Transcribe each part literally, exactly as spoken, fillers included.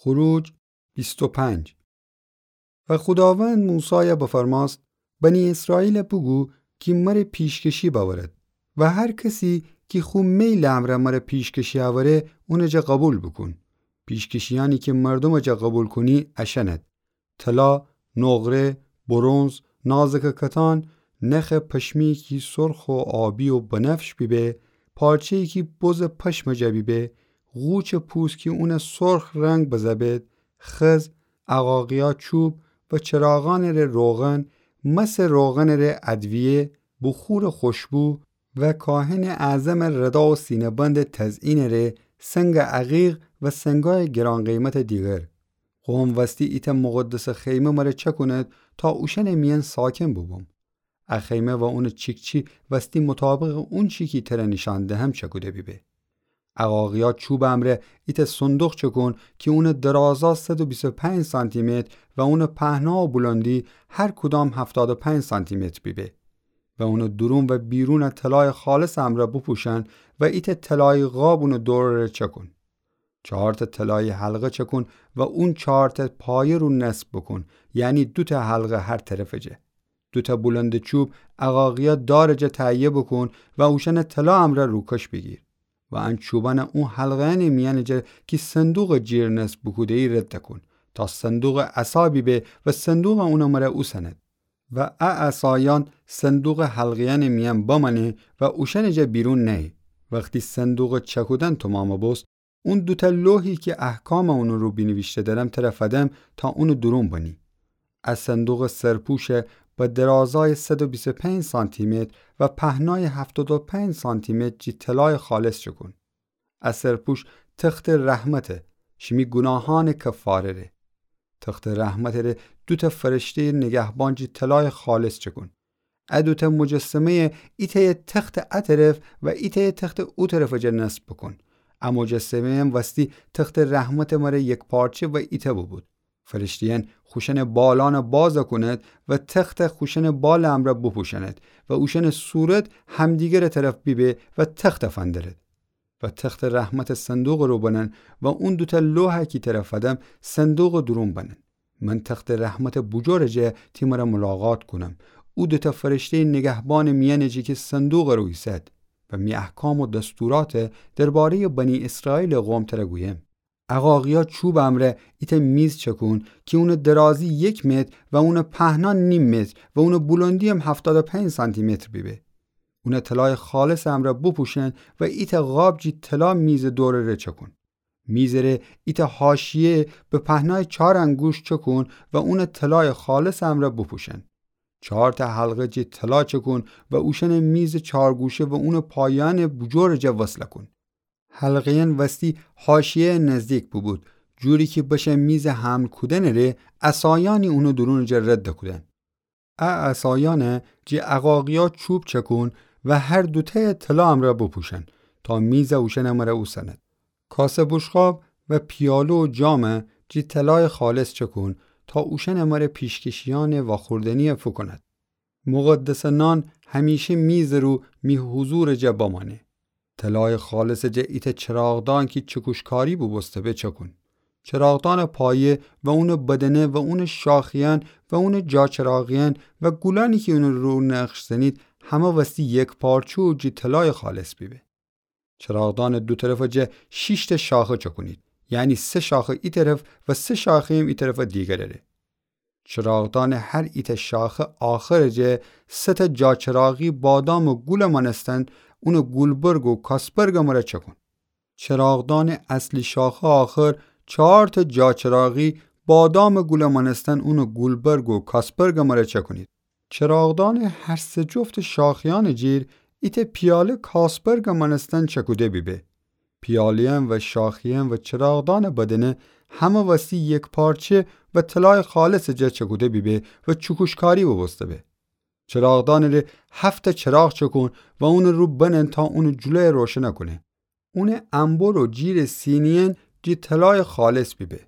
خروج بیست و پنج. و خوداوند موسایَ بفرماست: بنی اسرائیلَ بوگو کی مره پیشکشی بأورد، و هر کسی کی خو میلٚ امرأ مره پیشکشی اوره، اونٚ جا قوبیل بوکون. پیشکشیأنی کی مردومٚ جا قوبیل کونی اشأنت: طلا، نقره، برنز، نازکٚ کتان، نخٚ پشمی کی سرخ و آبی و بنفش بیبه، پارچه‌یی کی بزٚ پشمٚ جا بیبه، غوچٚ پوست کی اونَ سرخ رنگ بزه‌بید، خز، عقاقیا چوب و چراغأنٚ ره روغن، مسٚ روغنٚ ره ادویه، بخورٚ خوشبو و کاهنٚ اعظمٚ ردا و سینه‌بندٚ تزئینٚ ره سنگٚ عقیق و سنگأیٚ گران‌قیمتٚ دیگر. قوم وستی ایتأ مقدسٚ خیمه مره چأکونید تا اوشأنٚ میأن ساکن بوبوم. ا خیمه و اونٚ چیکچی وستی مطابقٚ اونچی کی تره نیشأن دهم چأکوده بیبه. عقاقیا چوبٚ امرأ ایتأ صندوق چأکون کی اونٚ درازا صد و بیست و پنج سانتی‌متر و اونٚ پهنا و بلندی هر کدام هفتاد و پنج سانتی‌متر بیبه. و اونٚ دورون و بیرونَ طلایٚ خالصٚ امرأ بپوشأن و ایتأ طلایی قاب اونٚ دورٚ ره چأکون. چهارتأ طلایی حلقه چأکون و اون چهارتأ پایه رو نصب بوکون، یعنی دوتأ حلقه هر طرفٚ جا. دوتأ بلندٚ چوب عقاقیا دارٚ جا تهیه بوکون و اوشأنَ طلا امرأ روکش بیگیر. و ان چوبأنَ اون حلقه‌یأنٚ میأنٚ جا کی صندوقٚ جیر نصب بوکوده‌یی رد کون، تا صندوقٚ عصا بیبه و صندوقَ اونٚ مره اوسنید. و ا عصایأن صندوقٚ حلقه‌یأنٚ میأن بمأنه و اوشأنٚ جا بیرون نأیه. وختی صندوقٚ چأکودن تومامَ بوست، اون دوتأ لوحی کی احکامٚ اونٚ رو بینیویشته دأرم تره فدم تا اونٚ دورون بنی. ا صندوقٚ سرپوشَ به درازایٚ صد و بیست و پنج سانتی‌متر و پهنایٚ هفتاد و پنج سانتی‌متر جی طلایٚ خالص چأکون. ا سرپوش تختٚ رحمته، شیمی گوناهأنٚ کفاره ره. تختٚ رحمتٚ ره دوتأ فرشته‌یٚ نگهبان جی طلایٚ خالص چأکون. ا دوتأ مجسمه‌یَ ایتأیَ تختٚ ا طرف و ایتأیَ تختٚ او طرفٚ جا نصب بوکون. ا مجسمه‌یأن وستی تختٚ رحمتٚ مره یکپارچه و ایتأ بوبود. فرشته‌یأن خوشأنٚ بالأنَ باز کونید و تختَ خوشأنٚ بالٚ امرأ بوپوشأنید و اوشأنٚ صورت همدیگرٚ طرف بیبه و تختَ فندرید. و تختٚ رحمتٚ صندوقٚ رو بنن و اون دوتأ لوحَ کی تره فدم صندوقٚ دورون بنن. من تختٚ رحمتٚ بوجورٚ جا تی مره ملاقات کونم. او دوتأ فرشته‌یٚ نگهبانٚ میأنٚ جا کی صندوقٚ رو ایسد و می احکام و دستوراتَ درباره‌یٚ بنی اسرائیلٚ قوم تره گویم. عقاقیا چوبٚ امرأ ایتأ میز چأکون کی اونٚ درازی یک متر و اونٚ پهنا نیم متر و اونٚ بلندی‌یم هفتاد و پنج سانتی‌متر بیبه. اونَ طلایٚ خالصٚ امرأ بوپوشن و ایتأ قاب جی طلا میزٚ دورٚ ره چأکون. میزٚ ره ایتأ حاشیه به پهنایٚ چار انگوشت چأکون و اونَ طلایٚ خالصٚ امرأ بوپوشن. چارتأ حلقه جی طلا چأکون و اوشأنٚ میزٚ چارگوشه و اونٚ پایأنٚ بوجورٚ جا وصل کون. حلقه‌یأن وستی حاشیه‌یٚ نزدیک بوبود، جوری کی بشه میزٚ حمل کودنٚ ره عصایأنی اونٚ دورونٚ جا رد کودن. ا عصایأنَ جی عقاقیا چوب چأکون و هر دوتأیَ طلا امرأ بوپوشن تا میزَ اوشأنٚ مره اوسنید. کاسه بوشقاب و پیاله و جامَ جی طلایٚ خالص چأکون تا اوشأنٚ مره پیشکشیأنٚ واخوردنی‌یَ فوکونید. مقدسٚ نان همیشه میزٚ رو می حضورٚ جا بمأنه. طلایٚ خالصٚ جا ایتأ چراغدان کی چکوشکاری بوبوسته به چأکون. چراغدانٚ پایه و اونٚ بدنه و اونٚ شاخه‌یأن و اونٚ جاچراغیأن و گولأنی کی اونٚ رو نقش زنید همه وستی یکپارچه و جی طلایٚ خالص بیبه. چراغدانٚ دو طرفٚ جا شیشتأ شاخه چأکونید، یعنی سه شاخه ای طرف و سه شاخه‌یم ای طرفٚ دیگرٚ ره. چراغدانٚ هر ایتأ شاخه آخرٚ جا سه‌تأ جاچراغی بادامٚ گولٚ مأنستن اونٚ گولبرگ و کاسبرگٚ مره چأکون. چراغدانٚ اصلی شاخه آخر چارتأ جاچراغی بادامٚ گولٚ مأنستن اونٚ گولبرگ و کاسبرگٚ مره چأکونید. چراغدانٚ هر سه جفتٚ شاخه‌یأنٚ جیر ایتأ پیاله کاسبرگٚ مأنستن چأکوده بیبه. پیاله‌یأن و شاخه‌یأن و چراغدانٚ بدنه همه وستی یکپارچه و طلایٚ خالصٚ جا چأکوده بیبه و چکوشکاری بوبوسته به. چراغدانٚ ره هفت‌تأ چراغ چأکون و اونٚ رو بنن تا اونٚ جلویَ روشنَ کونه. اونٚ انبر و جیرٚ سینی‌یأن جی طلایٚ خالص بیبه.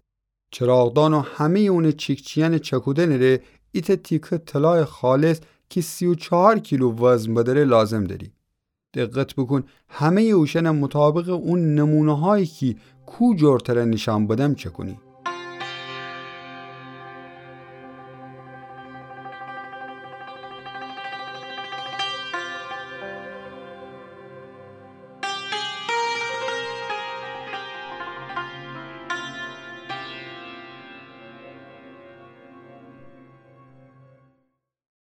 چراغدان و همه‌یٚ اونٚ چیکچی‌یأنٚ چأکودنٚ ره ایتأ تیکه طلایٚ خالص کی سی و چهار کیلو وزن بدأره لازم دأری. دقت بوکون همه‌یٚ اوشأنَ مطابقٚ اون نمونه‌هایی کی کو جور تره نیشأن بدم چأکونی.